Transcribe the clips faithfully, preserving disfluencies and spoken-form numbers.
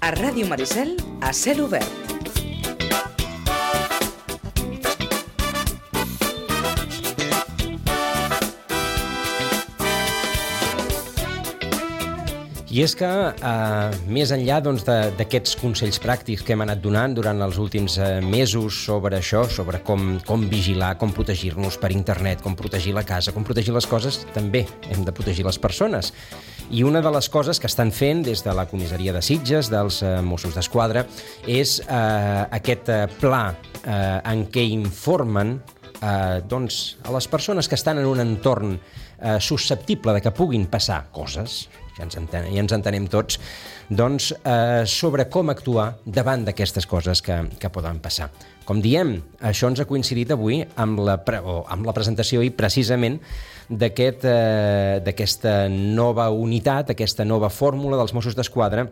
A Ràdio Maricel, a cel obert. I és que, eh, més enllà doncs, d'aquests consells pràctics que hem anat donant durant els últims eh, mesos sobre això, sobre com, com vigilar, com protegir-nos per internet, com protegir la casa, com protegir les coses, també hem de protegir les persones. I una de les coses que estan fent des de la comissaria de Sitges, dels eh, Mossos d'Esquadra, és eh, aquest eh, pla eh, en què informen eh, doncs, a les persones que estan en un entorn eh, susceptible de que puguin passar coses, ja ens, enten, ja ens entenem tots, doncs, eh, sobre com actuar davant d'aquestes coses que, que poden passar. Com diem, això ens ha coincidit avui amb la, pre, o amb la presentació i precisament d'aquest, eh, d'aquesta nova unitat, aquesta nova fórmula dels Mossos d'Esquadra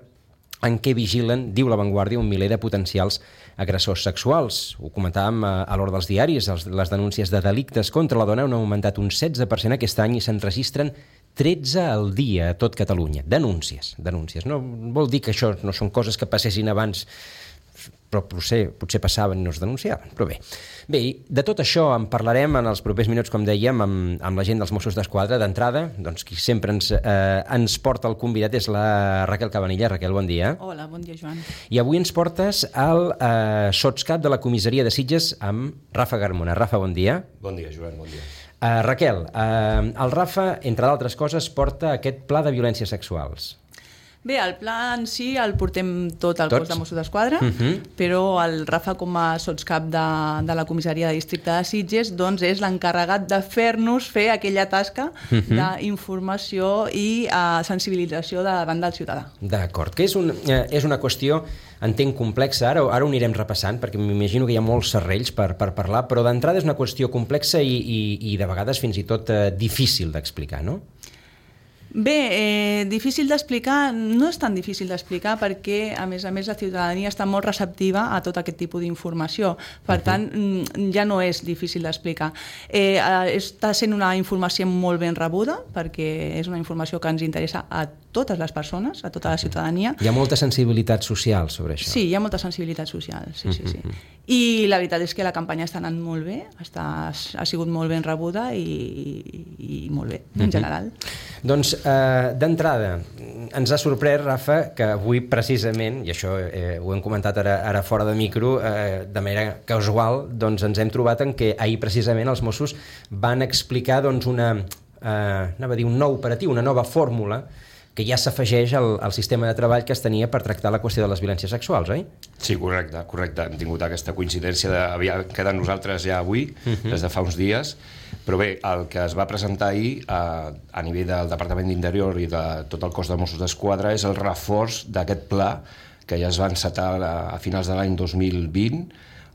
en què vigilen, diu La Vanguardia, un miler de potencials agressors sexuals. Ho comentàvem a, a l'hora dels diaris, els, les denúncies de delictes contra la dona han augmentat un setze per cent aquest any i se'n registren tretze al dia a tot Catalunya. Denúncies, denúncies. No vol dir que això no són coses que passessin abans, però potser, potser passaven i no es denunciaven, però bé. Bé, de tot això en parlarem en els propers minuts, com dèiem, amb, amb la gent dels Mossos d'Esquadra. D'entrada, doncs qui sempre ens, eh, ens porta el convidat és la Raquel Cabanilla. Raquel, bon dia. Hola, bon dia, Joan. I avui ens portes al eh, sotscap de la comissaria de Sitges amb Rafa Garmona. Rafa, bon dia. Bon dia, Joan, bon dia. Uh, Raquel, uh, el Rafa, entre d'altres coses, porta aquest pla de violències sexuals. Bé, el pla en si el portem tot el Tots? cos de Mossos d'Esquadra, uh-huh. però el Rafa, com a sotscap de, de la comissaria de districte de Sitges, doncs és l'encarregat de fer-nos fer aquella tasca uh-huh. d'informació i uh, sensibilització davant del ciutadà. D'acord, que és, un, eh, és una qüestió, entenc, complexa. Ara, ara ho anirem repassant, perquè m'imagino que hi ha molts serrells per, per parlar, però d'entrada és una qüestió complexa i, i, i de vegades fins i tot eh, difícil d'explicar, no? Bé, eh, difícil d'explicar, no és tan difícil d'explicar perquè, a més a més, la ciutadania està molt receptiva a tot aquest tipus d'informació. Per uh-huh. tant, ja no és difícil d'explicar. Eh, està sent una informació molt ben rebuda perquè és una informació que ens interessa a totes les persones, a tota la ciutadania. Hi ha molta sensibilitat social sobre això. Sí, hi ha molta sensibilitat social, sí, sí, sí. Uh-huh. I la veritat és que la campanya està anant molt bé, està, ha sigut molt ben rebuda i, i, i molt bé, en uh-huh. general. Doncs, eh, d'entrada, ens ha sorprès, Rafa, que avui precisament, i això eh, ho hem comentat ara, ara fora de micro, eh, de manera casual, doncs ens hem trobat en què ahir precisament els Mossos van explicar doncs, una, eh, anava a dir, un nou operatiu, una nova fórmula que ja s'afegeix al, al sistema de treball que es tenia per tractar la qüestió de les violències sexuals, oi? Sí, correcte, correcte. Hem tingut aquesta coincidència de havia quedat nosaltres ja avui, uh-huh. des de fa uns dies, però bé, el que es va presentar ahir a, a nivell del Departament d'Interior i de tot el cos de Mossos d'Esquadra és el reforç d'aquest pla que ja es va encetar a, a finals de l'any dos mil vint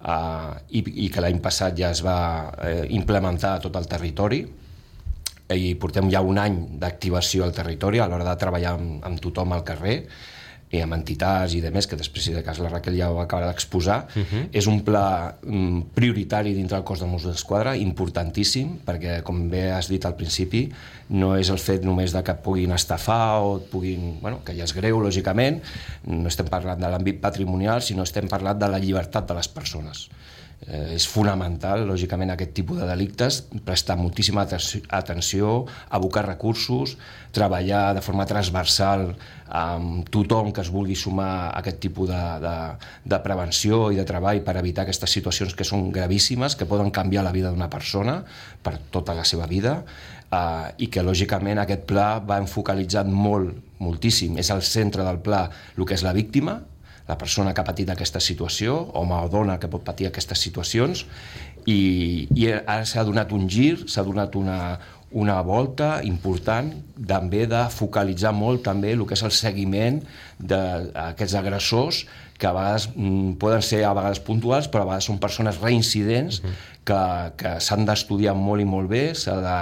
uh, i, i que l'any passat ja es va eh, implementar a tot el territori, i portem ja un any d'activació al territori a l'hora de treballar amb, amb tothom al carrer i amb entitats i de més, que després, si de cas la Raquel ja ho acaba d'exposar. Uh-huh. És un pla um, prioritari dintre del cos de Mossos d'Esquadra, importantíssim, perquè, com bé has dit al principi, no és el fet només de que puguin estafar o puguin... Bueno, que ja és greu, lògicament, no estem parlant de l'àmbit patrimonial, sinó estem parlant de la llibertat de les persones. Eh, és fonamental, lògicament, aquest tipus de delictes, prestar moltíssima atenció, abocar recursos, treballar de forma transversal amb tothom que es vulgui sumar a aquest tipus de, de, de prevenció i de treball per evitar aquestes situacions que són gravíssimes, que poden canviar la vida d'una persona per tota la seva vida, eh, i que, lògicament, aquest pla va enfocalitzat molt, moltíssim. És al centre del pla el que és la víctima, la persona que ha patit aquesta situació, home o dona que pot patir aquestes situacions, i, i ara s'ha donat un gir, s'ha donat una, una volta important també de focalitzar molt també el que és el seguiment d'aquests agressors que a vegades mm, poden ser a vegades puntuals, però a vegades són persones reincidents uh-huh. que, que s'han d'estudiar molt i molt bé, s'ha de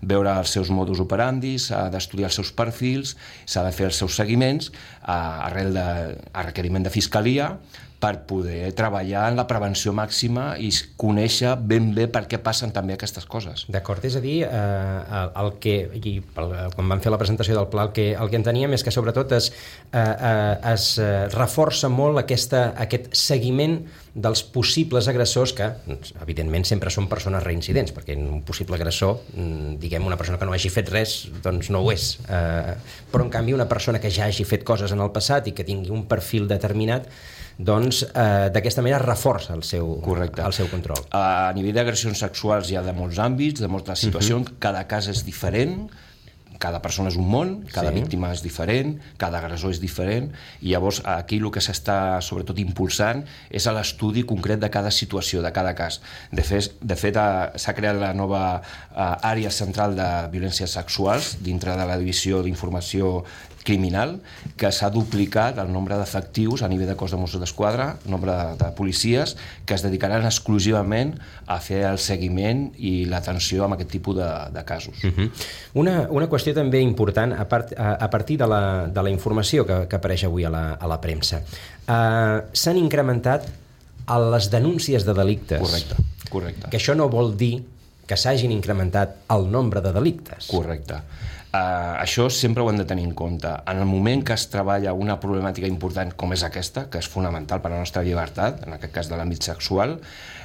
veure els seus modus operandi, s'ha d'estudiar els seus perfils, s'ha de fer els seus seguiments a, arrel de, a requeriment de fiscalia, per poder treballar en la prevenció màxima i conèixer ben bé per què passen també aquestes coses. D'acord, és a dir, eh, el que, i quan van fer la presentació del pla, el que, el que enteníem és que sobretot es, eh, eh, es eh, reforça molt aquesta, aquest seguiment dels possibles agressors que, evidentment, sempre són persones reincidents, perquè un possible agressor, diguem, una persona que no hagi fet res, doncs no ho és. Eh, però, en canvi, una persona que ja hagi fet coses en el passat i que tingui un perfil determinat, doncs eh, d'aquesta manera reforça el seu, el seu control. A nivell d'agressions sexuals hi ha de molts àmbits, de moltes situacions, uh-huh. cada cas és diferent, cada persona és un món, cada sí. víctima és diferent, cada agressor és diferent, i llavors aquí el que s'està sobretot impulsant és l'estudi concret de cada situació, de cada cas. De fet, de fet s'ha creat la nova àrea central de violències sexuals dintre de la divisió d'informació criminal, que s'ha duplicat el nombre d'efectius a nivell de cos de Mossos d'Esquadra, el nombre de, de policies, que es dedicaran exclusivament a fer el seguiment i l'atenció amb aquest tipus de, de casos. Uh-huh. Una, una qüestió també important, a, part, a, a partir de la, de la informació que, que apareix avui a la, a la premsa. Uh, s'han incrementat les denúncies de delictes. Correcte, correcte. Que això no vol dir que s'hagin incrementat el nombre de delictes. Correcte. Uh, això sempre ho hem de tenir en compte. En el moment que es treballa una problemàtica important com és aquesta, que és fonamental per a la nostra llibertat, en aquest cas de l'àmbit sexual,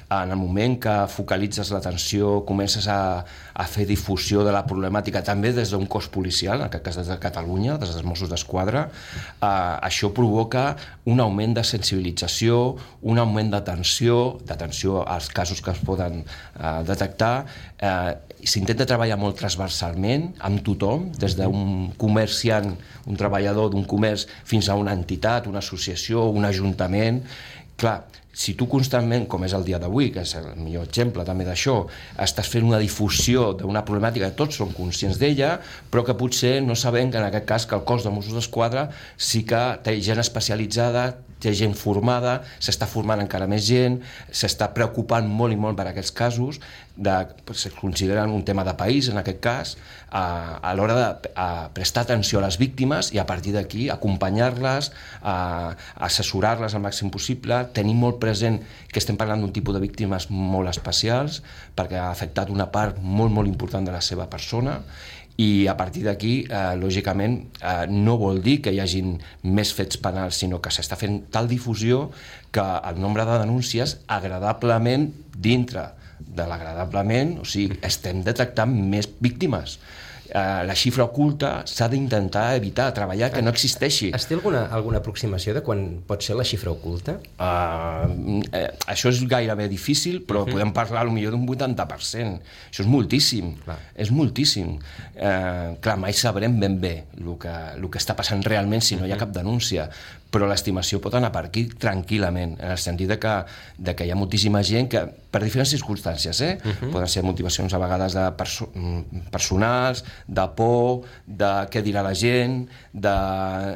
en el moment que focalitzes l'atenció, comences a, a fer difusió de la problemàtica també des d'un cos policial, en aquest cas des de Catalunya, des dels Mossos d'Esquadra, eh, això provoca un augment de sensibilització, un augment d'atenció, d'atenció als casos que es poden eh, detectar. Eh, s'intenta treballar molt transversalment amb tothom, des d'un comerciant, un treballador d'un comerç, fins a una entitat, una associació, un ajuntament. Clar, si tu constantment, com és el dia d'avui, que és el millor exemple també d'això, estàs fent una difusió d'una problemàtica que tots som conscients d'ella, però que potser no sabem que en aquest cas que el cos de Mossos d'Esquadra sí que té gent especialitzada, té gent formada, s'està formant encara més gent, s'està preocupant molt i molt per aquests casos, de, es consideren un tema de país en aquest cas, a, a l'hora de a prestar atenció a les víctimes i a partir d'aquí acompanyar-les, a, a assessorar-les al màxim possible, tenir molt present que estem parlant d'un tipus de víctimes molt especials perquè ha afectat una part molt molt important de la seva persona, i a partir d'aquí, eh, lògicament, eh, no vol dir que hi hagin més fets penals, sinó que s'està fent tal difusió que el nombre de denúncies agradablement dintre de l'agradablement, o sigui, estem detectant més víctimes. Uh, la xifra oculta s'ha d'intentar evitar, treballar que no existeixi. Es té alguna, alguna aproximació de quan pot ser la xifra oculta? Uh, eh, això és gairebé difícil, però uh-huh. podem parlar potser d'un vuitanta per cent. Això és moltíssim, clar. és moltíssim. Uh, clar, mai sabrem ben bé el que, el que està passant realment si no hi ha cap denúncia, però l'estimació pot anar per aquí tranquil·lament, en el sentit de que, de que hi ha moltíssima gent que, per diferents circumstàncies, eh? uh-huh. poden ser motivacions a vegades de perso personals, de por, de què dirà la gent, de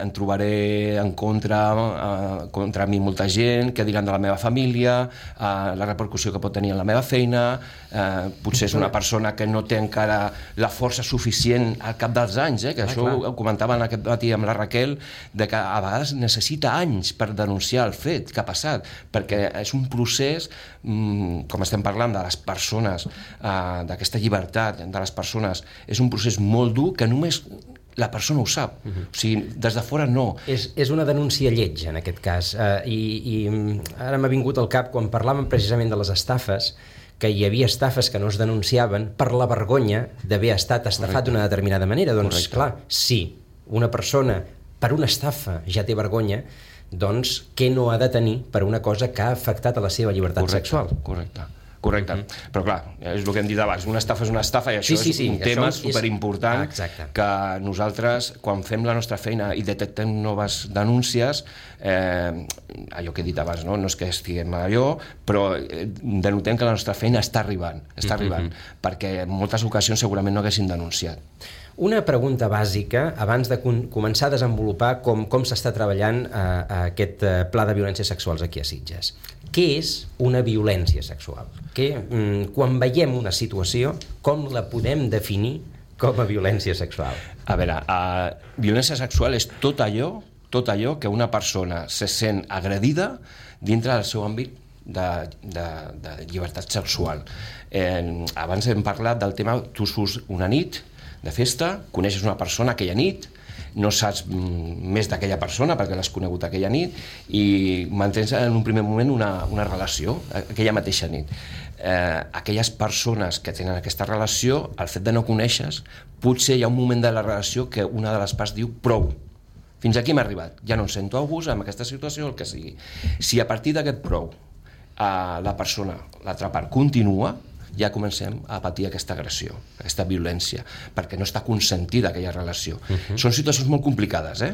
em trobaré en contra, eh, contra mi molta gent, què diran de la meva família, eh, la repercussió que pot tenir en la meva feina, eh, potser és una persona que no té encara la força suficient al cap dels anys, eh, que ah, això clar. ho comentaven aquest matí amb la Raquel, de que a vegades necessita anys per denunciar el fet que ha passat, perquè és un procés, mm, com estem parlant de les persones, eh, d'aquesta llibertat de les persones, és un procés molt dur que només la persona ho sap, uh-huh. o sigui, des de fora no. És, és una denúncia lletja en aquest cas, uh, i, i ara m'ha vingut al cap quan parlàvem precisament de les estafes, que hi havia estafes que no es denunciaven per la vergonya d'haver estat estafat d'una determinada manera. Doncs Correcte. clar, si una persona per una estafa ja té vergonya, doncs què no ha de tenir per una cosa que ha afectat a la seva llibertat correcte, sexual? Correcte. Correcte, mm-hmm. però clar, és el que hem dit abans, una estafa és una estafa i això sí, sí, sí, és un tema és... superimportant ah, que nosaltres, quan fem la nostra feina i detectem noves denúncies, eh, allò que he dit abans, no, no és que estiguem allò, però denotem que la nostra feina està arribant, està arribant, mm-hmm. perquè en moltes ocasions segurament no haguessin denunciat. Una pregunta bàsica, abans de començar a desenvolupar com, com s'està treballant eh, aquest eh, pla de violències sexuals aquí a Sitges. Què és una violència sexual? Que, mm, quan veiem una situació, com la podem definir com a violència sexual? A veure, uh, violència sexual és tot allò, tot allò que una persona se sent agredida dintre del seu àmbit de, de, de llibertat sexual. Eh, abans hem parlat del tema, tu surts una nit de festa, coneixes una persona aquella nit, no saps més d'aquella persona perquè l'has conegut aquella nit i mantens en un primer moment una, una relació aquella mateixa nit. Eh, aquelles persones que tenen aquesta relació, el fet de no conèixer, potser hi ha un moment de la relació que una de les parts diu prou, fins aquí m'ha arribat, ja no em sento a gust amb aquesta situació, el que sigui. Si a partir d'aquest prou eh, la persona, l'altra part, continua, ja comencem a patir aquesta agressió, aquesta violència, perquè no està consentida aquella relació. Uh-huh. Són situacions molt complicades, eh?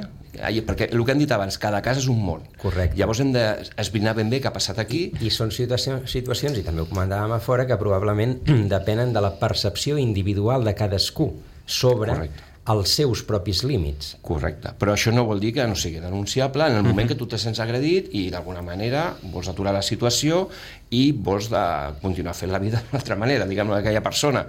Perquè el que hem dit abans, cada cas és un món. Correcte. Llavors hem d'esbrinar ben bé què ha passat aquí. I, i són situacions, situacions, i també ho comentàvem a fora, que probablement depenen de la percepció individual de cadascú sobre Correcte. Els seus propis límits. Correcte, però això no vol dir que no sigui denunciable en el moment uh-huh. que tu te sents agredit i d'alguna manera vols aturar la situació i vols de continuar fent la vida d'una altra manera, diguem-ne, d'aquella persona.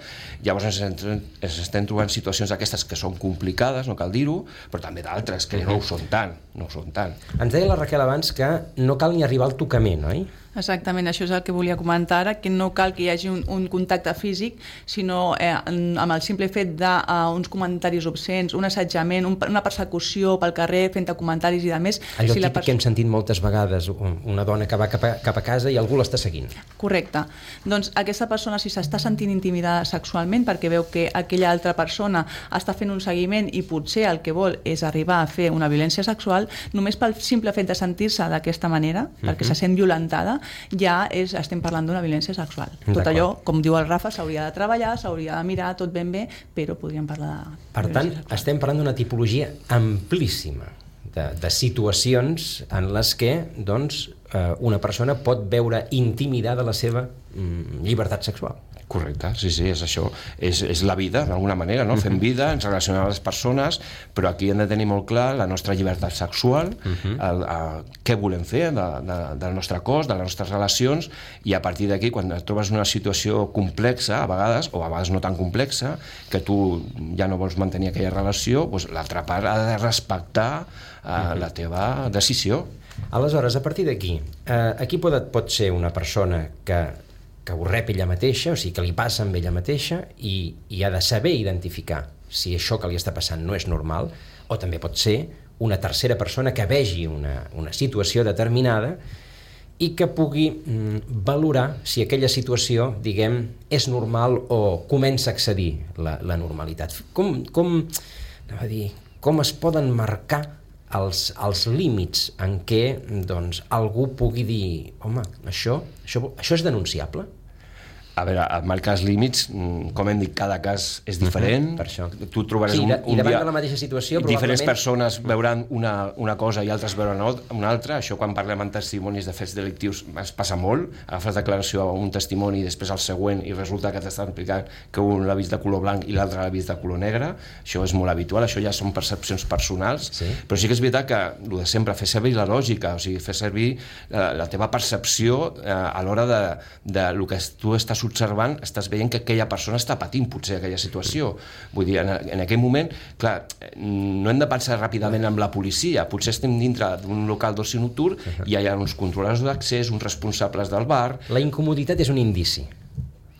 Llavors ens, ens estem trobant situacions aquestes que són complicades, no cal dir-ho, però també d'altres que uh-huh. no ho són tant, no ho són tant. Ens deia la Raquel abans que no cal ni arribar al tocament, oi? Exactament, això és el que volia comentar ara, que no cal que hi hagi un, un contacte físic, sinó eh, amb el simple fet d'uns uh, comentaris obscens, un assetjament, un, una persecució pel carrer fent comentaris i de més. Allò si típic pers- que hem sentit moltes vegades, una dona que va cap a, cap a casa i algú l'està seguint. Correcte. Doncs aquesta persona, si s'està sentint intimidada sexualment perquè veu que aquella altra persona està fent un seguiment i potser el que vol és arribar a fer una violència sexual, només pel simple fet de sentir-se d'aquesta manera, uh-huh. perquè se sent violentada, ja és, estem parlant d'una violència sexual. Tot allò, com diu el Rafa, s'hauria de treballar, s'hauria de mirar tot ben bé, però podríem parlar de Per tant, sexual. Estem parlant d'una tipologia amplíssima de, de situacions en les que doncs, eh, una persona pot veure intimidada la seva mm, llibertat sexual. Correcte, sí, sí, és això. És, és la vida, d'alguna manera, no? Uh-huh. Fem vida, ens relacionem amb les persones, però aquí hem de tenir molt clar la nostra llibertat sexual, uh-huh. el, el, què volem fer de, de, del nostre cos, de les nostres relacions, i a partir d'aquí, quan et trobes una situació complexa, a vegades, o a vegades no tan complexa, que tu ja no vols mantenir aquella relació, doncs l'altra part ha de respectar eh, uh-huh. la teva decisió. Aleshores, a partir d'aquí, eh, aquí pot, pot ser una persona que que ho rep ella mateixa, o sigui, que li passa amb ella mateixa i, i ha de saber identificar si això que li està passant no és normal, o també pot ser una tercera persona que vegi una, una situació determinada i que pugui mm, valorar si aquella situació, diguem, és normal o comença a excedir la, la normalitat. Com, com, anava a dir, com es poden marcar els, els límits en què doncs, algú pugui dir home, això, això, això és denunciable? A veure, marcar els límits, com hem dit, cada cas és diferent. Uh-huh, per això. Tu trobaràs sí, un, un I davant dia... de la mateixa situació, diferents probablement... persones veuran una, una cosa i altres veuran una altra. Això, quan parlem en testimonis de fets delictius, es passa molt. Agafes declaració a un testimoni i després al següent i resulta que t'estan explicant que un l'ha vist de color blanc i l'altre l'ha vist de color negre. Això és molt habitual, això ja són percepcions personals. Sí. Però sí que és veritat que, el de sempre, fer servir la lògica, o sigui, fer servir la, la teva percepció eh, a l'hora de, de lo que tu estàs observant, estàs veient que aquella persona està patint potser aquella situació. Vull dir, en, en aquell moment, clar, no hem de pensar ràpidament amb la policia, potser estem dintre d'un local d'oci nocturn i hi ha uns controladors d'accés, uns responsables del bar... La incomoditat és un indici,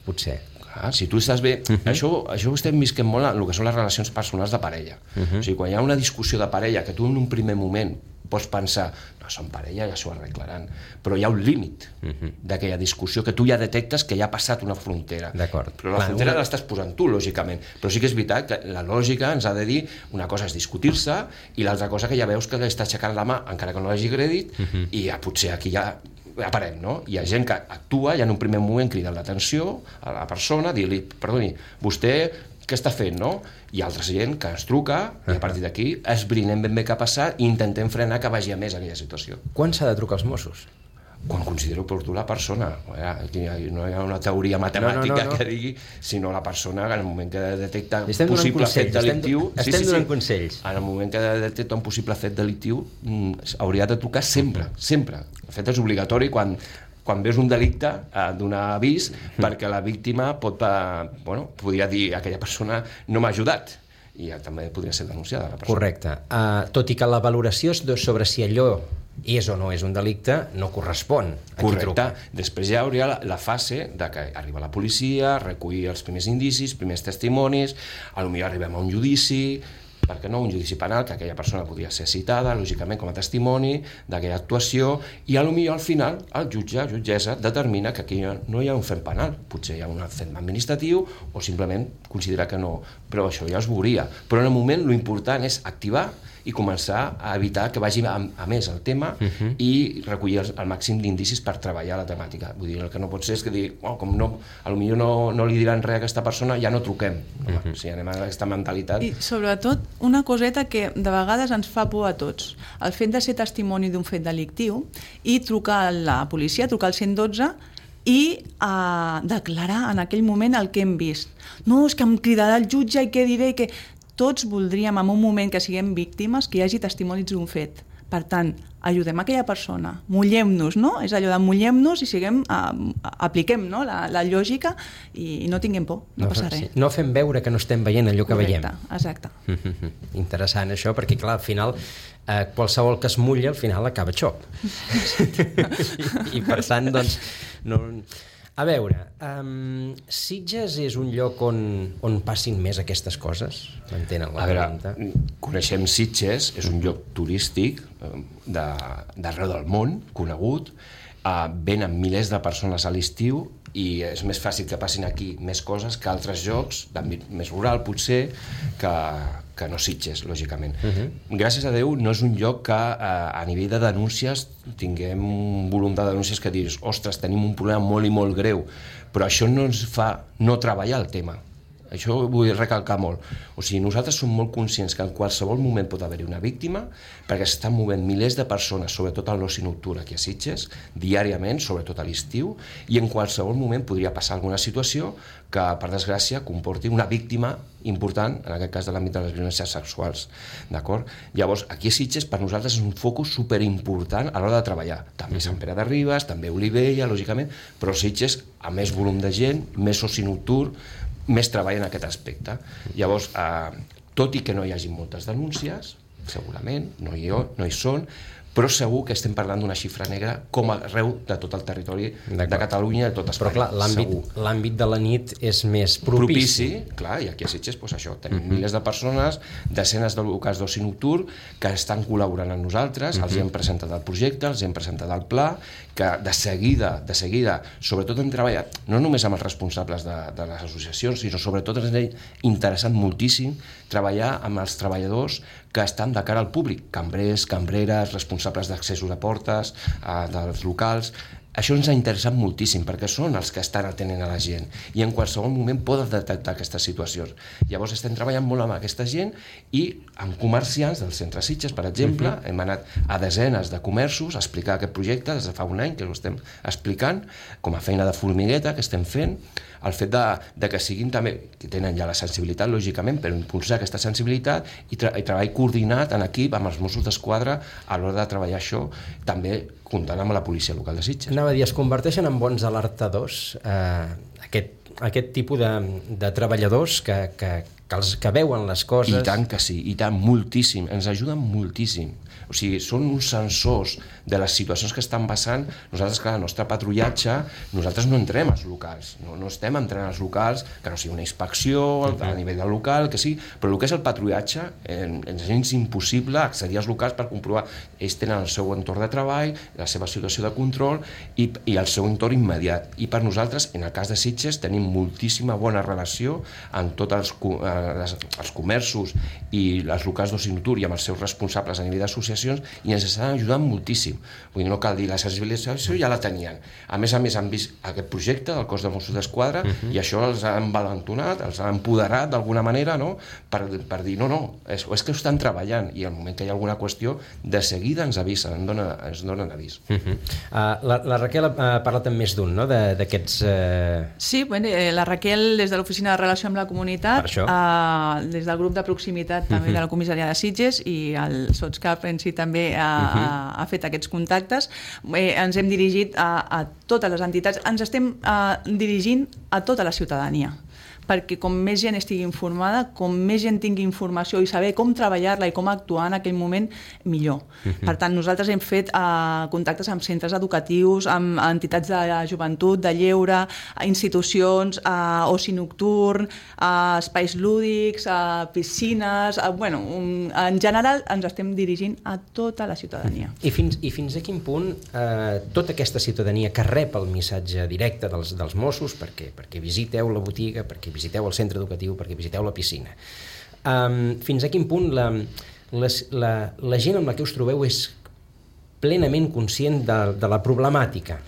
potser. Clar, si tu estàs bé... Uh-huh. Això, això ho estem visquent molt en el que són les relacions personals de parella. Uh-huh. O sigui, quan hi ha una discussió de parella que tu en un primer moment pots pensar, no, són parella, ja s'ho arreglaran, però hi ha un límit uh-huh. d'aquella discussió que tu ja detectes que ja ha passat una frontera. D'acord. Però la Clar, frontera una... l'estàs posant tu, lògicament. Però sí que és veritat que la lògica ens ha de dir una cosa és discutir-se i l'altra cosa que ja veus que està aixecant la mà, encara que no l'hagi agredit, uh-huh. i ja, potser aquí ja aparem, no? Hi ha gent que actua i en un primer moment crida l'atenció a la persona, dir-li, perdoni, vostè què està fent, no? Hi ha altra gent que ens truca i a partir d'aquí esbrinem ben bé què ha passat i intentem frenar que vagi a més aquella situació. Quan s'ha de trucar als Mossos? Quan considero oportú la persona. Aquí no hi ha una teoria matemàtica no, no, no, no. que digui, sinó la persona que en el moment que detecta un possible fet delictiu... Estem, estem sí, sí, donant sí. consells. En el moment que detecta un possible fet delictiu hauria de trucar sempre, sempre. El fet és obligatori quan... quan veus un delicte, eh, donar avís, mm. perquè la víctima pot, eh, bueno, podria dir aquella persona no m'ha ajudat, i ja també podria ser denunciada la persona. Correcte. Uh, tot i que la valoració sobre si allò és o no és un delicte, no correspon a qui Correcte. truca. Després ja hauria la, la fase de que arriba la policia, recollir els primers indicis, primers testimonis, potser arribem a un judici, per què no, un judici penal, que aquella persona podria ser citada, lògicament, com a testimoni d'aquella actuació, i potser al final el jutge, jutgessa, determina que aquí no hi ha un fet penal, potser hi ha un fet administratiu o simplement considera que no, però això ja es veuria. Però en el moment l'important és activar i començar a evitar que vagi a, a més el tema uh-huh. i recollir el, el màxim d'indicis per treballar la temàtica. Vull dir, el que no pot ser és que digui, oh, com no, potser no, no li diran res a aquesta persona, ja no truquem. No, uh-huh. O sigui, anem a aquesta mentalitat. I sobretot una coseta que de vegades ens fa por a tots, el fet de ser testimoni d'un fet delictiu i trucar a la policia, trucar al cent i dotze i uh, declarar en aquell moment el que hem vist. No, és que em cridarà el jutge i què diré, que tots voldríem en un moment que siguem víctimes que hi hagi testimonis d'un fet. Per tant, ajudem aquella persona, mullem-nos, no? És allò de mullem-nos i siguem, uh, apliquem no? la, la lògica i, i no tinguem por, no, no passa res. Sí. No fem veure que no estem veient allò que Correcte, veiem. Exacte. Interessant això, perquè clar, al final eh, qualsevol que es mulla al final acaba xop. I, I per tant, doncs, no... A veure, um, Sitges és un lloc on, on passin més aquestes coses? M'entenen la pregunta? A veure, coneixem Sitges, és un lloc turístic d'arreu del món, conegut, uh, venen milers de persones a l'estiu i és més fàcil que passin aquí més coses que altres llocs d'àmbit més rural, potser, que, que no Sitges, lògicament. Uh-huh. Gràcies a Déu no és un lloc que a, a nivell de denúncies tinguem un volum de denúncies que dius, ostres, tenim un problema molt i molt greu, però això no ens fa no treballar el tema. Això ho vull recalcar molt. O sigui, nosaltres som molt conscients que en qualsevol moment pot haver-hi una víctima, perquè s'estan movent milers de persones, sobretot al l'oci nocturn aquí a Sitges, diàriament, sobretot a l'estiu, i en qualsevol moment podria passar alguna situació que, per desgràcia, comporti una víctima important, en aquest cas de l'àmbit de les violències sexuals. D'acord? Llavors, aquí a Sitges, per nosaltres, és un focus superimportant a l'hora de treballar. També Sant Pere de Ribes, també Olivella, lògicament, però Sitges, a més volum de gent, més oci nocturn, més treball en aquest aspecte. Llavors, eh, tot i que no hi hagi moltes denúncies, segurament, no hi, no hi són, però segur que estem parlant d'una xifra negra com arreu de tot el territori de Catalunya i de tot Espanya. Però clar, l'àmbit de la nit és més propici. Propici, clar, i aquí a Sitges, doncs això, tenim uh-huh. milers de persones, desenes de locals d'oci nocturn que estan col·laborant amb nosaltres, uh-huh. els hem presentat el projecte, els hem presentat el pla, que de seguida, de seguida, sobretot hem treballat, no només amb els responsables de, de les associacions, sinó sobretot ens ha interessat moltíssim treballar amb els treballadors que estan de cara al públic, cambrers, cambreres, responsables d'accessos a portes, eh, dels locals. Això ens ha interessat moltíssim, perquè són els que estan atenent a la gent i en qualsevol moment poden detectar aquestes situacions. Llavors estem treballant molt amb aquesta gent i amb comerciants del centre Sitges, per exemple, uh-huh. hem anat a desenes de comerços a explicar aquest projecte des de fa un any que ho estem explicant, com a feina de formigueta que estem fent, el fet de, de que siguin també, que tenen ja la sensibilitat, lògicament, per impulsar aquesta sensibilitat i, tra i treball coordinat en equip amb els Mossos d'Esquadra a l'hora de treballar això, també comptant amb la policia local de Sitges. Anava a dir, es converteixen en bons alertadors eh, aquest, aquest tipus de, de treballadors que, que, que, els, que veuen les coses... I tant que sí, i tant, moltíssim, ens ajuden moltíssim. O sigui, són uns sensors de les situacions que estan passant. Nosaltres, clar, el nostre patrullatge, nosaltres no entrem als locals, no, no estem entrant als locals, que no sigui una inspecció a nivell del local, que sí, però el que és el patrullatge, eh, ens és impossible accedir als locals per comprovar. Ells tenen el seu entorn de treball, la seva situació de control i, i el seu entorn immediat. I per nosaltres, en el cas de Sitges, tenim moltíssima bona relació amb tots els, eh, els comerços i els locals d'oci nocturn i amb els seus responsables a nivell d'associació i ens estan ajudant moltíssim. Vull dir, no cal dir, la sensibilització ja la tenien. A més a més han vist aquest projecte del cos de Mossos d'Esquadra uh-huh. i això els ha envalentonat, els ha empoderat d'alguna manera, no? per, per dir, no, no, és, és que ho estan treballant i al moment que hi ha alguna qüestió, de seguida ens avisen, ens donen, ens donen avís. Uh-huh. uh, la, la Raquel ha parlat amb més d'un, no?, d'aquests... Uh... Sí, bueno, eh, la Raquel des de l'Oficina de Relació amb la Comunitat, uh, des del grup de proximitat també uh-huh. de la comissaria de Sitges i el Sotscap en si també ha, uh-huh. ha, ha fet aquests contactes. Eh, ens hem dirigit a, a totes les entitats, ens estem uh, dirigint a tota la ciutadania, perquè com més gent estigui informada, com més gent tingui informació i saber com treballar-la i com actuar en aquell moment, millor. Uh-huh. Per tant, nosaltres hem fet uh, contactes amb centres educatius, amb entitats de joventut, de lleure, institucions, uh, oci nocturn, uh, espais lúdics, uh, piscines... Uh, bueno, un, en general ens estem dirigint a tota la ciutadania. I fins, i fins a quin punt eh, tota aquesta ciutadania que rep el missatge directe dels, dels Mossos, perquè, perquè visiteu la botiga, perquè visiteu el centre educatiu, perquè visiteu la piscina, um, fins a quin punt la, la, la, la gent amb la que us trobeu és plenament conscient de, de la problemàtica?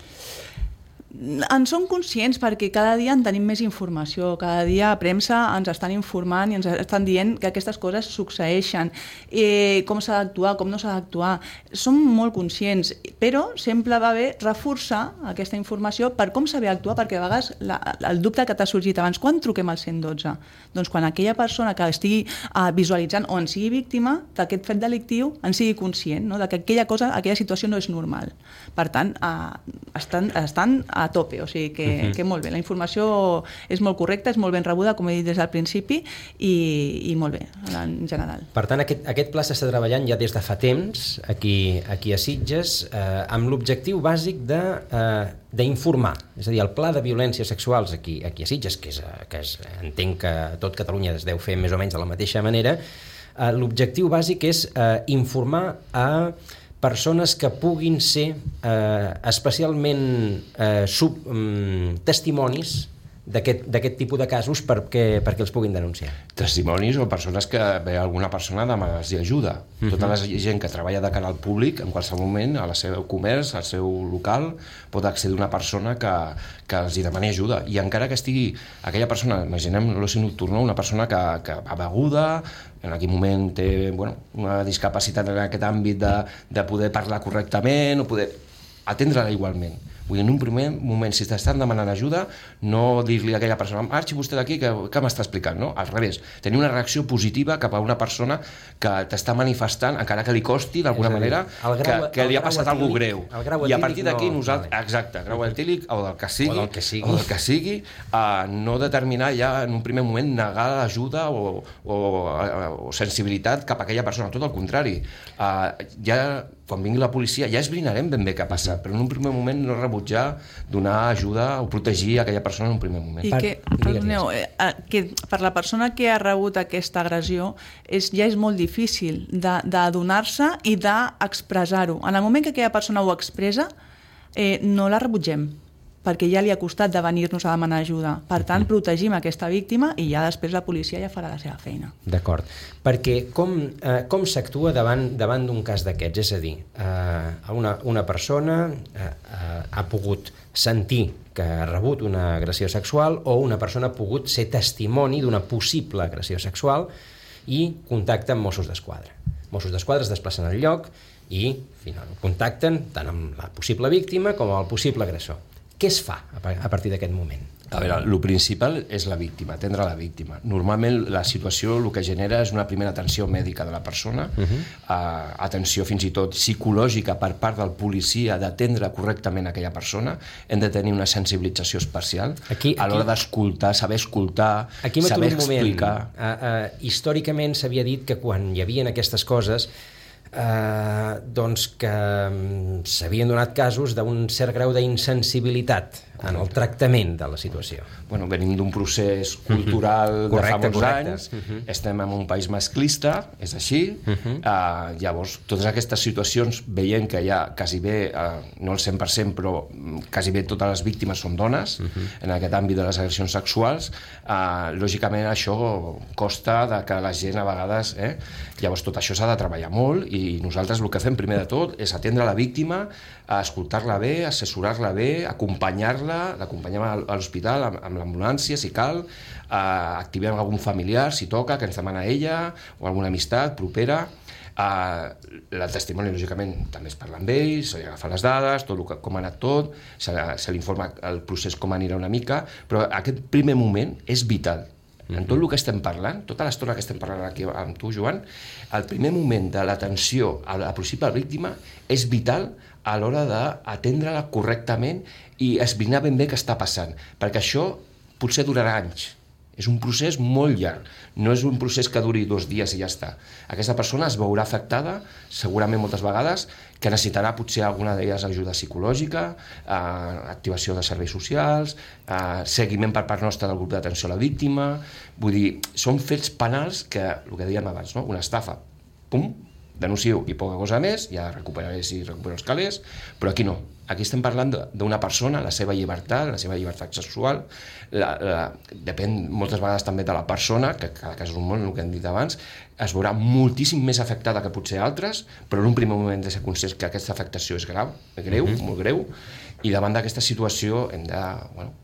En som conscients perquè cada dia en tenim més informació, cada dia a premsa ens estan informant i ens estan dient que aquestes coses succeeixen, eh, com s'ha d'actuar, com no s'ha d'actuar. Som molt conscients, però sempre va bé reforçar aquesta informació per com saber actuar, perquè a vegades la, el dubte que t'ha sorgit abans, quan truquem al cent i dotze? Doncs quan aquella persona que estigui eh, visualitzant o en sigui víctima d'aquest fet delictiu en sigui conscient, no? De que aquella cosa, aquella situació no és normal. Per tant, eh, estan, estan a tope, o sigui que, uh-huh. que molt bé. La informació és molt correcta, és molt ben rebuda, com he dit des del principi, i, i molt bé, en general. Per tant, aquest, aquest pla s'està treballant ja des de fa temps, aquí, aquí a Sitges, eh, amb l'objectiu bàsic de, eh, d'informar. És a dir, el pla de violències sexuals aquí, aquí a Sitges, que, és, que és, entenc que a tot Catalunya es deu fer més o menys de la mateixa manera, eh, l'objectiu bàsic és eh, informar a persones que puguin ser eh, especialment eh, sub, um, testimonis d'aquest d'aquest tipus de casos perquè, perquè els puguin denunciar. Testimonis o persones que ve alguna persona demanar-los ajuda. Uh-huh. Tota la gent que treballa de cara al públic, en qualsevol moment, al seu comerç, al seu local, pot accedir una persona que, que els hi demani ajuda. I encara que estigui aquella persona, imaginem l'oci nocturn, una persona que, que va beguda, en aquell moment té bueno, una discapacitat en aquest àmbit de, de poder parlar correctament o poder atendre-la igualment. Vull dir, en un primer moment, si t'estan demanant ajuda, no dir-li a aquella persona marxi vostè d'aquí, que, que m'està explicant, no? Al revés, tenir una reacció positiva cap a una persona que t'està manifestant, encara que li costi d'alguna manera, grau, que, que li ha passat alguna cosa greu. I a partir d'aquí no, nosaltres, vale. Exacte, grau etílic o del que sigui, o del que sigui, o del que sigui uh, no determinar ja en un primer moment negar l'ajuda o, o, o sensibilitat cap a aquella persona, tot el contrari. Uh, ja quan vingui la policia ja esbrinarem ben bé què ha passat, però en un primer moment no rebutjar donar ajuda o protegir aquella persona en un primer moment. I que, perdoneu, eh, que per la persona que ha rebut aquesta agressió és, ja és molt difícil d'adonar-se i d'expressar-ho. En el moment que aquella persona ho expressa, eh, no la rebutgem, perquè ja li ha costat de venir-nos a demanar ajuda. Per tant, protegim aquesta víctima i ja després la policia ja farà la seva feina. D'acord. Perquè com, eh, com s'actua davant, davant d'un cas d'aquests? És a dir, eh, una, una persona eh, eh, ha pogut sentir que ha rebut una agressió sexual o una persona ha pogut ser testimoni d'una possible agressió sexual i contacta amb Mossos d'Esquadra. Mossos d'Esquadra es desplacen al lloc i finalment contacten tant amb la possible víctima com amb el possible agressor. Què es fa a partir d'aquest moment? A veure, el principal és la víctima, atendre la víctima. Normalment la situació el que genera és una primera atenció mèdica de la persona, uh-huh. uh, atenció fins i tot psicològica per part del policia d'atendre correctament aquella persona. Hem de tenir una sensibilització especial aquí, aquí, a l'hora d'escoltar, saber escoltar, aquí saber explicar. Uh, uh, històricament s'havia dit que quan hi havia aquestes coses Uh, doncs que um, s'havien donat casos d'un cert grau d'insensibilitat en el tractament de la situació. Bueno, venim d'un procés cultural uh-huh. correcte, de fa molts correcte. anys, uh-huh. estem en un país masclista, és així, uh-huh. uh, llavors totes aquestes situacions veient que ja quasi bé, uh, no el cent per cent, però quasi bé totes les víctimes són dones, uh-huh. en aquest àmbit de les agressions sexuals, uh, lògicament això costa de que la gent a vegades, eh? Llavors tot això s'ha de treballar molt i nosaltres el que fem primer de tot és atendre la víctima, escoltar-la bé, assessorar-la bé, acompanyar-la, l'acompanyem a l'hospital amb, amb l'ambulància si cal, eh, activem algun familiar si toca, que ens demana ella, o alguna amistat propera. Eh, el testimoni, lògicament, també es parla amb ell, se li agafa les dades, tot el que, com ha anat tot, se, se li informa el procés com anirà una mica, però aquest primer moment és vital. En tot el que estem parlant, tota l'estona que estem parlant aquí amb tu, Joan, el primer moment de l'atenció a la possible víctima és vital a l'hora d'atendre-la correctament i esbrinar ben bé què està passant, perquè això potser durarà anys, És un procés molt llarg, no és un procés que duri dos dies i ja està. Aquesta persona es veurà afectada, segurament moltes vegades, que necessitarà potser alguna d'elles ajuda psicològica, eh, activació de serveis socials, eh, seguiment per part nostra del grup d'atenció a la víctima. Vull dir, són fets penals que, el que dèiem abans, no? Una estafa, pum, denuncio i poca cosa més, ja recuperaré si recupero els calés, però aquí no. Aquí estem parlant d'una persona, la seva llibertat, la seva llibertat sexual, la, la, depèn moltes vegades també de la persona, que cada cas és un món, el que hem dit abans, es veurà moltíssim més afectada que potser altres, però en un primer moment de ser conscients que aquesta afectació és grau, greu, mm-hmm. molt greu, i davant d'aquesta situació hem de, bueno,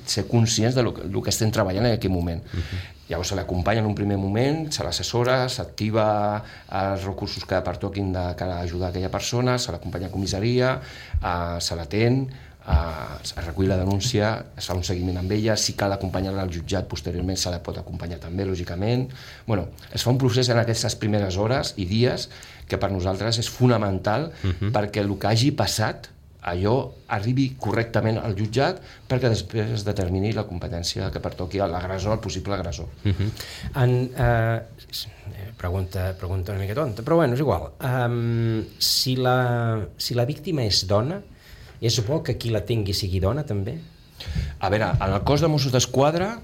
ser conscients del que, que estem treballant en aquell moment. Mm-hmm. Llavors se l'acompanya en un primer moment, se l'assessora, s'activa els recursos que pertoquin de cara a ajudar aquella persona, se l'acompanya a comissaria, eh, se l'atén, eh, es recull la denúncia, es fa un seguiment amb ella, si cal acompanyar-la al jutjat posteriorment se la pot acompanyar també, lògicament. Bueno, es fa un procés en aquestes primeres hores i dies que per nosaltres és fonamental uh-huh. perquè el que hagi passat allò arribi correctament al jutjat perquè després es determini la competència que pertoqui a l'agressor, al possible agressor. Uh-huh. En, uh, pregunta, pregunta una mica tonta, però bueno, és igual. Um, si, la, si la víctima és dona, és bo que qui la tingui sigui dona també? A veure, en el cos de Mossos d'Esquadra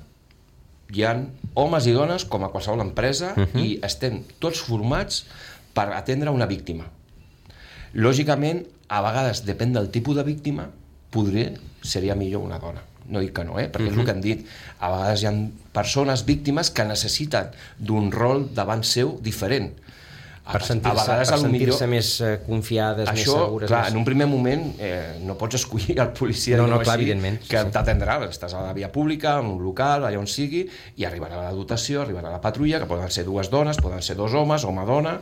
hi ha homes i dones com a qualsevol empresa uh-huh. i estem tots formats per atendre una víctima. Lògicament, a vegades, depèn del tipus de víctima, podria, seria millor una dona. No dic que no, eh? perquè uh-huh. és el que han dit. A vegades hi ha persones víctimes que necessiten d'un rol davant seu diferent. Per sentir-se sentir millor... més confiades, això, més segures... Clar, més... en un primer moment eh, no pots escollir el policia no, no, així, clar, evidentment, que sí. t'atendrà. Estàs a la via pública, en un local, allà on sigui, i arribarà la dotació, arribarà la patrulla, que poden ser dues dones, poden ser dos homes, home-dona,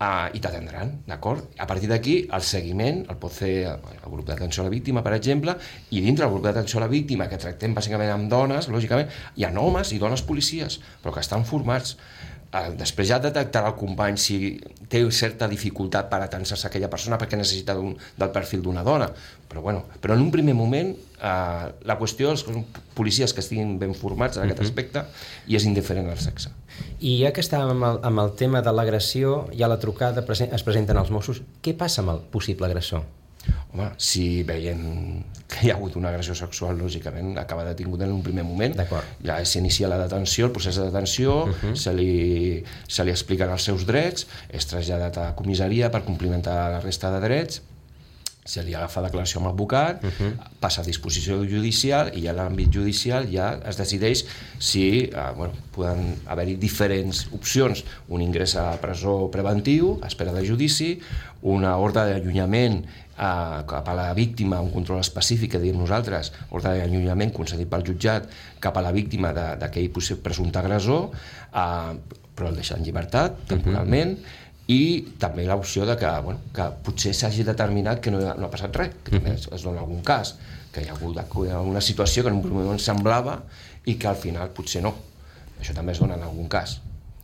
Uh, i t'atendran, d'acord? A partir d'aquí, el seguiment el pot fer el grup d'atenció a la víctima, per exemple, i dintre del grup d'atenció a la víctima, que tractem bàsicament amb dones, lògicament, hi ha homes i dones policies, però que estan formats. Uh, després ja detectarà el company si té certa dificultat per atensar-se a aquella persona perquè necessita un, del perfil d'una dona, però bueno, però en un primer moment uh, la qüestió és que són policies que estiguin ben formats en aquest uh-huh. aspecte i és indiferent al sexe. I ja que estàvem amb el, amb el tema de l'agressió, ja la trucada es presenten els Mossos, què passa amb el possible agressor? Home, si veiem que hi ha hagut una agressió sexual, lògicament acaba detingut en un primer moment. Ja s'inicia la detenció, el procés de detenció, uh-huh. se, li, se li expliquen els seus drets, és traslladat a comissaria per complimentar la resta de drets, se li agafa declaració amb l'advocat, uh-huh. passa a disposició judicial i a l'àmbit judicial ja es decideix si eh, bueno, poden haver-hi diferents opcions, un ingrés a presó preventiu, a espera de judici, una ordre d'allunyament Uh, cap a la víctima, un control específic que diem nosaltres, ordre d'allunyament concedit pel jutjat cap a la víctima d'aquell presumpte agressor, uh, però el deixa en llibertat temporalment, uh-huh. i també l'opció de que, bueno, que potser s'hagi determinat que no ha, no ha passat res, que també es, es dona algun cas, que hi ha hagut una situació que en un primer moment semblava i que al final potser no. Això també es dona en algun cas.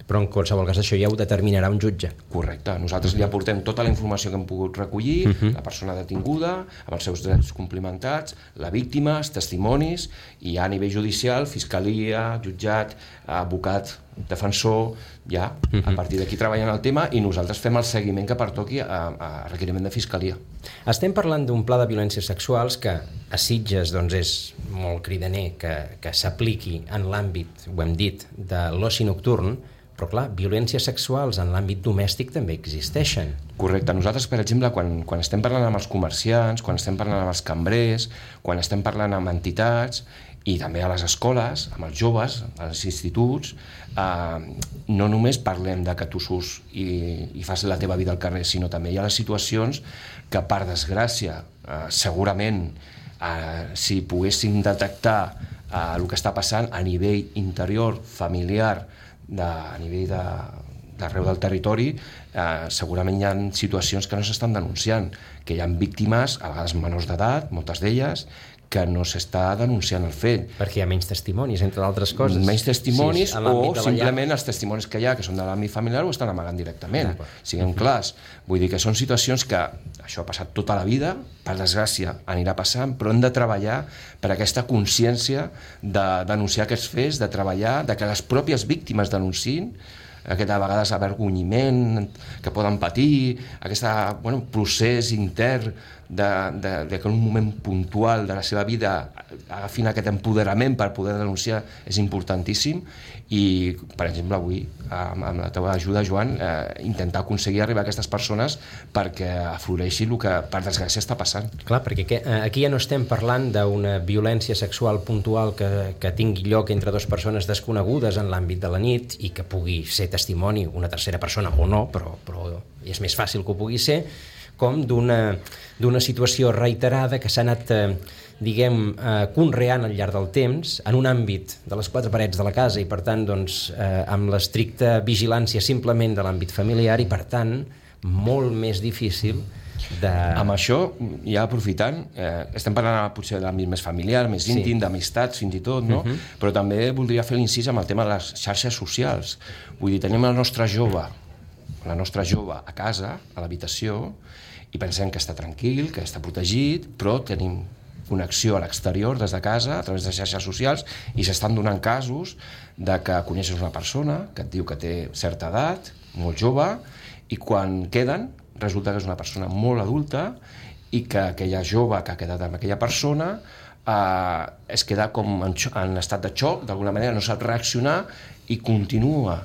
Però en qualsevol cas això ja ho determinarà un jutge. Correcte. Nosaltres li aportem tota la informació que hem pogut recollir, uh-huh. la persona detinguda, amb els seus drets complimentats, la víctima, els testimonis, i ja a nivell judicial, fiscalia, jutjat, advocat, defensor, ja, uh-huh. a partir d'aquí treballant el tema i nosaltres fem el seguiment que pertoqui a, a requeriment de fiscalia. Estem parlant d'un pla de violències sexuals que a Sitges doncs, és molt cridaner que, que s'apliqui en l'àmbit, ho hem dit, de l'oci nocturn, però clar, violències sexuals en l'àmbit domèstic també existeixen. Correcte. Nosaltres, per exemple, quan, quan estem parlant amb els comerciants, quan estem parlant amb els cambrers, quan estem parlant amb entitats i també a les escoles, amb els joves, als instituts, eh, no només parlem de que tu surts i, i fas la teva vida al carrer, sinó també hi ha les situacions que, per desgràcia, eh, segurament, eh, si poguéssim detectar eh, el que està passant a nivell interior, familiar, de, a nivell de, d'arreu del territori, eh, segurament hi ha situacions que no s'estan denunciant, que hi ha víctimes, a vegades menors d'edat, moltes d'elles, que no s'està denunciant el fet. Perquè hi ha menys testimonis, entre d'altres coses. Menys testimonis, sí, o simplement els testimonis que hi ha, que són de l'àmbit familiar, ho estan amagant directament. Siguem clars. Vull dir que són situacions que això ha passat tota la vida, per desgràcia anirà passant, però hem de treballar per aquesta consciència de denunciar aquests fets, de treballar, de que les pròpies víctimes denunciïn, aquest a vegades avergonyiment que poden patir, aquest bueno, procés intern de, de, de que en un moment puntual de la seva vida agafin aquest empoderament per poder denunciar és importantíssim i, per exemple, avui, amb, amb la teva ajuda, Joan, eh, intentar aconseguir arribar a aquestes persones perquè afloreixi el que, per desgràcia, està passant. Clar, perquè que, aquí ja no estem parlant d'una violència sexual puntual que, que tingui lloc entre dues persones desconegudes en l'àmbit de la nit i que pugui ser testimoni una tercera persona o no, però, però és més fàcil que ho pugui ser, com d'una d'una situació reiterada que s'ha anat, eh, diguem, eh, conreant al llarg del temps en un àmbit de les quatre parets de la casa i, per tant, doncs, eh, amb l'estricta vigilància simplement de l'àmbit familiar i, per tant, molt més difícil de... Amb això, ja aprofitant, eh, estem parlant potser de l'àmbit més familiar, més íntim, sí. d'amistats fins i tot, no? Uh-huh. Però també voldria fer l'incís amb el tema de les xarxes socials. Vull dir, tenim el nostre jove, la nostra jove a casa, a l'habitació, i pensem que està tranquil, que està protegit, però tenim connexió a l'exterior des de casa, a través de xarxes socials, i s'estan donant casos de que coneixes una persona que et diu que té certa edat, molt jove, i quan queden resulta que és una persona molt adulta i que aquella jove que ha quedat amb aquella persona eh, es queda com en, en estat de xoc, d'alguna manera no sap reaccionar i continua,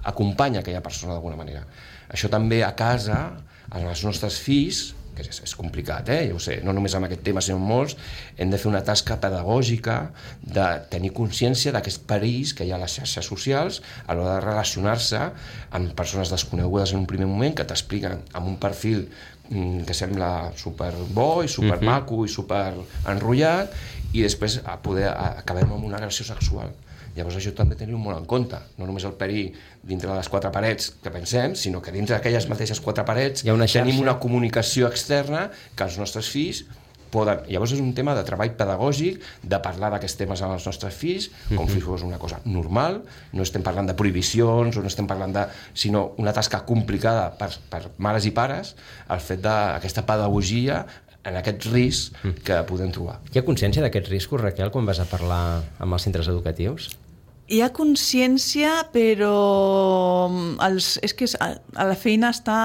acompanya aquella persona d'alguna manera. Això també a casa, amb els nostres fills, que és, és complicat, eh? Ja ho sé, no només amb aquest tema, sinó amb molts, hem de fer una tasca pedagògica de tenir consciència d'aquests perills que hi ha a les xarxes socials a l'hora de relacionar-se amb persones desconegudes en un primer moment que t'expliquen amb un perfil mm, que sembla superbo i supermaco uh-huh. i superenrotllat i després a poder a, acabem amb una agressió sexual. Llavors això també tenim molt en compte, no només el perill dintre de les quatre parets que pensem, sinó que dintre d'aquelles mateixes quatre parets una tenim una comunicació externa que els nostres fills poden... Llavors és un tema de treball pedagògic, de parlar d'aquests temes amb els nostres fills, com si fos una cosa normal, no estem parlant de prohibicions, o no estem parlant de... sinó una tasca complicada per, per mares i pares, el fet d'aquesta pedagogia en aquest risc que podem trobar. Hi ha consciència d'aquests riscos, Raquel, quan vas a parlar amb els centres educatius? Hi ha consciència, però els, és que a la feina està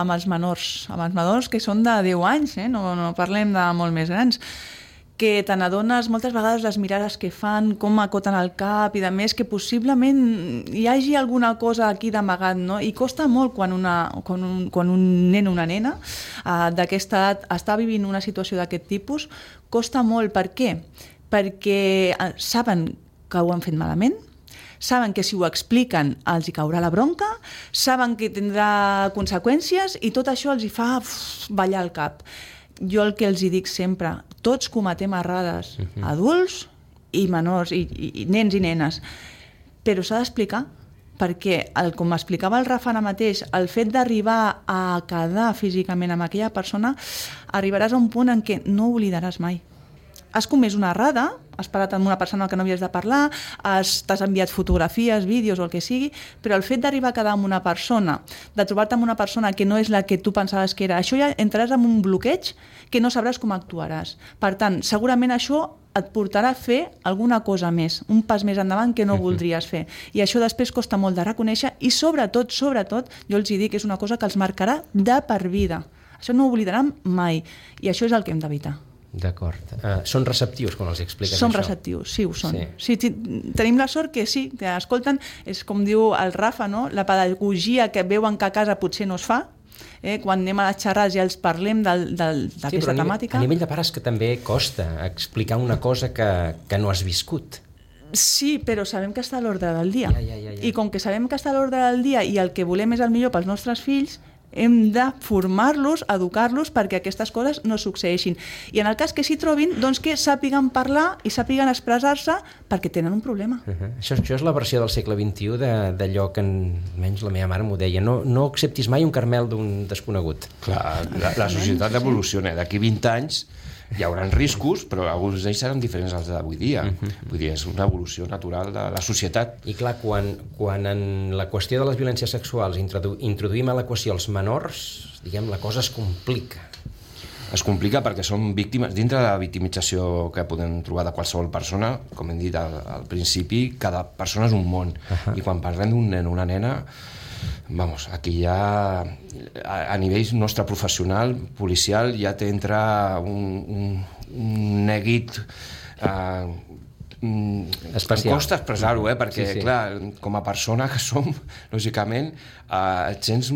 amb els menors, amb els menors que són de deu anys, eh? no, no parlem de molt més grans, que te n'adones moltes vegades les mirades que fan, com acoten el cap i de més, que possiblement hi hagi alguna cosa aquí d'amagat, no? I costa molt quan, una, quan, un, quan un nen o una nena uh, d'aquesta edat està vivint una situació d'aquest tipus, costa molt. Per què? Perquè uh, saben que ho han fet malament, saben que si ho expliquen els hi caurà la bronca, saben que tindrà conseqüències i tot això els hi fa uf, ballar el cap. Jo el que els hi dic sempre, tots cometem errades, uh-huh. adults i menors, i, i, i nens i nenes, però s'ha d'explicar, perquè, el, com explicava el Rafa ara mateix, el fet d'arribar a quedar físicament amb aquella persona, arribaràs a un punt en què no oblidaràs mai. Has comès una errada, has parlat amb una persona que no havies de parlar, has, t'has enviat fotografies, vídeos o el que sigui, però el fet d'arribar a quedar amb una persona, de trobar-te amb una persona que no és la que tu pensaves que era, això ja entraràs en un bloqueig que no sabràs com actuaràs. Per tant, segurament això et portarà a fer alguna cosa més, un pas més endavant que no voldries fer. I això després costa molt de reconèixer i sobretot, sobretot, jo els hi dic, és una cosa que els marcarà de per vida. Això no ho oblidaran mai i això és el que hem d'evitar. D'acord. Uh, són receptius quan els expliques són això? Són receptius, sí, ho són. Sí. Sí, tenim la sort que sí, que escolten, és com diu el Rafa, no? La pedagogia que veuen que a casa potser no es fa, eh? Quan anem a les xerrades i els parlem del, del, d'aquesta sí, temàtica. A nivell de pares que també costa explicar una cosa que, que no has viscut. Sí, però sabem que està a l'ordre del dia. Ja, ja, ja, ja. I com que sabem que està a l'ordre del dia i el que volem és el millor pels nostres fills, hem de formar-los, educar-los perquè aquestes coses no succeeixin. I en el cas que s'hi trobin, doncs que sàpiguen parlar i sàpiguen expressar-se perquè tenen un problema. Uh -huh. això, això és la versió del segle vint-i-u d'allò que, en, almenys la meva mare m'ho deia, no, no acceptis mai un carmel d'un desconegut. Clar, la, la societat evoluciona. D'aquí vint anys hi haurà riscos, però alguns d'ells seran diferents als d'avui dia. Uh-huh. Vull dir, és una evolució natural de la societat. I clar, quan, quan en la qüestió de les violències sexuals introdu introduïm a l'equació els menors, diguem, la cosa es complica. Es complica perquè són víctimes, dintre de la victimització que podem trobar de qualsevol persona, com hem dit al, al principi, cada persona és un món. Uh-huh. I quan parlem d'un nen o una nena, vamos, aquí ja a, a nivell nostre professional, policial, ja t'entra un, un, un neguit eh, especial. Em costa expressar-ho, eh? perquè, sí, sí. clar, com a persona que som, lògicament, eh, et sents,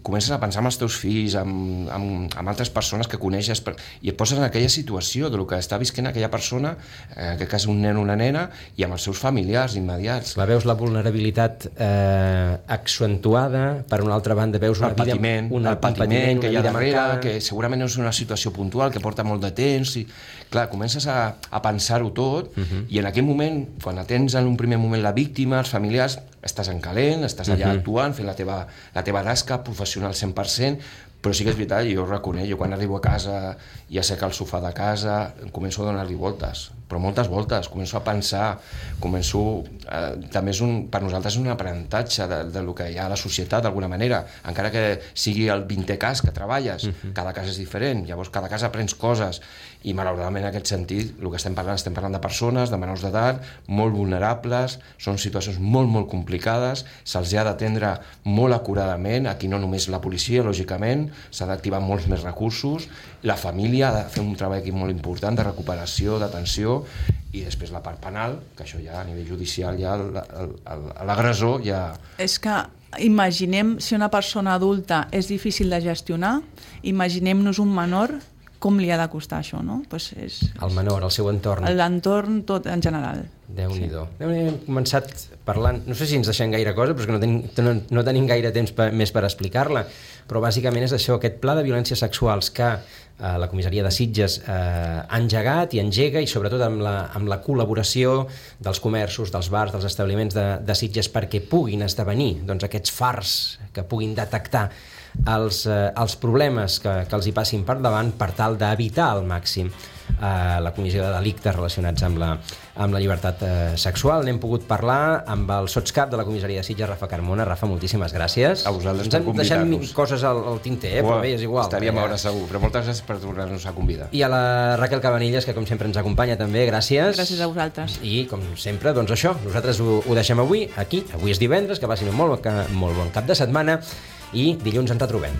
comences a pensar en els teus fills, amb, amb, amb altres persones que coneixes, per, i et poses en aquella situació del que està visquent aquella persona, en aquest cas un nen o una nena, i amb els seus familiars immediats. La veus la vulnerabilitat eh, accentuada, per una altra banda veus una el patiment, vida, una, el patiment, patiment que hi ha darrere, marcada, que segurament és una situació puntual, que porta molt de temps, i clar, comences a, a pensar-ho tot, uh-huh. i en aquell moment, quan atens en un primer moment la víctima, els familiars, estàs en calent, estàs allà uh-huh. actuant, fent la teva, la teva tasca professional cent per cent, però sí que és veritat, jo ho reconec, jo quan arribo a casa i asseca el sofà de casa, començo a donar-li voltes, però moltes voltes, començo a pensar, començo... Eh, també és un, per nosaltres és un aprenentatge de, de lo que hi ha a la societat, d'alguna manera, encara que sigui el vintè cas que treballes, uh-huh. cada cas és diferent, llavors cada cas aprens coses, i malauradament en aquest sentit, el que estem parlant, estem parlant de persones, de menors d'edat, molt vulnerables, són situacions molt, molt complicades, se'ls ha d'atendre molt acuradament, aquí no només la policia, lògicament, s'ha d'activar molts més recursos, la família ha de fer un treball aquí molt important de recuperació, d'atenció, i després la part penal, que això ja a nivell judicial ja l'agressor ja... És que imaginem si una persona adulta és difícil de gestionar, imaginem-nos un menor, com li ha de costar això, no? Pues és, el menor, el seu entorn. L'entorn tot en general. Déu-n'hi-do. Sí. Déu-n'hi-do. Hem començat parlant, no sé si ens deixem gaire cosa, però és que no, ten, no, no tenim gaire temps per, més per explicar-la, però bàsicament és això, aquest pla de violències sexuals que eh, la comissaria de Sitges eh, ha engegat i engega, i sobretot amb la, amb la col·laboració dels comerços, dels bars, dels establiments de, de Sitges, perquè puguin esdevenir doncs, aquests fars que puguin detectar els, eh, els problemes que, que els hi passin per davant per tal d'evitar al màxim eh, la comissió de delictes relacionats amb la, amb la llibertat eh, sexual. N'hem pogut parlar amb el sotscap de la comissaria de Sitges, Rafa Carmona. Rafa, moltíssimes gràcies. A vosaltres per convidar-nos. Ens hem deixat coses al, al tinter, eh, però bé, és igual. Estaríem a hora segur, però moltes gràcies per tornar-nos a convidar. I a la Raquel Cabanillas, que com sempre ens acompanya també, gràcies. Gràcies a vosaltres. I com sempre, doncs això, nosaltres ho, ho deixem avui, aquí, avui és divendres, que passin un molt, molt bon cap de setmana, i dilluns ens retrobem.